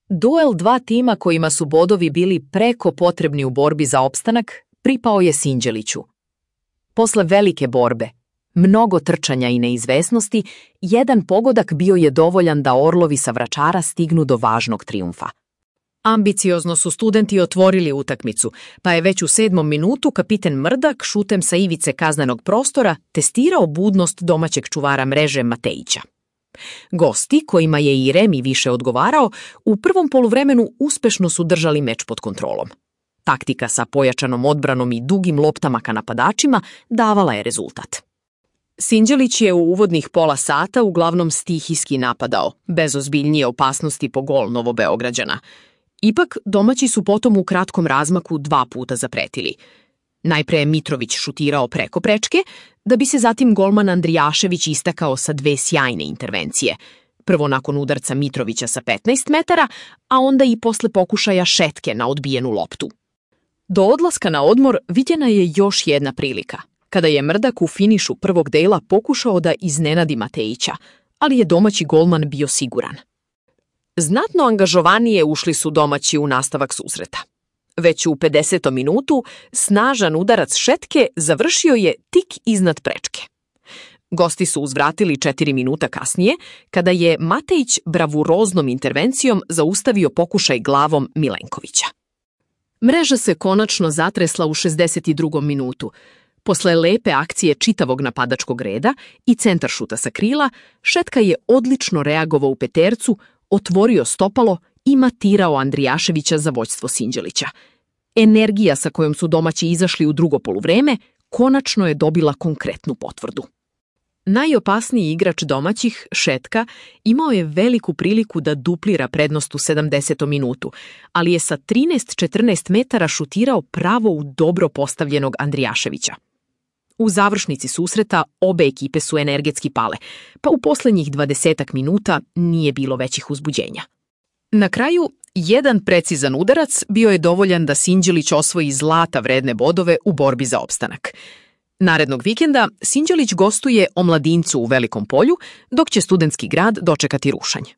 Duel dva tima kojima su bodovi bili preko potrebni u borbi za opstanak pripao je Sinđeliću. Posle velike borbe, mnogo trčanja i neizvesnosti, jedan pogodak bio je dovoljan da orlovi sa Vračara stignu do važnog trijumfa. Ambiciozno su studenti otvorili utakmicu, pa je već u 7. minutu kapiten Mrdak šutem sa ivice kaznenog prostora testirao budnost domaćeg čuvara mreže Matejića. Gosti, kojima je i remi više odgovarao, u prvom poluvremenu uspešno su držali meč pod kontrolom. Taktika sa pojačanom odbranom i dugim loptama ka napadačima davala je rezultat. Sinđelić je u uvodnih pola sata uglavnom stihijski napadao, bez ozbiljnije opasnosti po gol Novobeograđana. Ipak, domaći su potom u kratkom razmaku 2 puta zapretili. Najpre je Mitrović šutirao preko prečke, da bi se zatim golman Andrijašević istakao sa 2 sjajne intervencije. Prvo nakon udarca Mitrovića sa 15 metara, a onda i posle pokušaja šetke na odbijenu loptu. Do odlaska na odmor viđena je još jedna prilika, kada je Mrdak u finišu prvog dela pokušao da iznenadi Matejića, ali je domaći golman bio siguran. Znatno angažovanije ušli su domaći u nastavak susreta. Već u 50. minutu snažan udarac šetke završio je tik iznad prečke. Gosti su uzvratili 4 minuta kasnije, kada je Matejić bravuroznom intervencijom zaustavio pokušaj glavom Milenkovića. Mreža se konačno zatresla u 62. minutu. Posle lepe akcije čitavog napadačkog reda i centaršuta sa krila, Šetka je odlično reagovao u petercu, otvorio stopalo i matirao Andrijaševića za vođstvo Sinđelića. Energija sa kojom su domaći izašli u drugo poluvreme konačno je dobila konkretnu potvrdu. Najopasniji igrač domaćih, Šetka, imao je veliku priliku da duplira prednost u 70. minutu, ali je sa 13-14 metara šutirao pravo u dobro postavljenog Andrijaševića. U završnici susreta obe ekipe su energetski pale, pa u poslednjih 20 minuta nije bilo većih uzbuđenja. Na kraju, jedan precizan udarac bio je dovoljan da Sinđelić osvoji zlata vredne bodove u borbi za opstanak. Narednog vikenda Sinđelić gostuje Omladincu u Velikom Polju, dok će Studentski grad dočekati rušanje.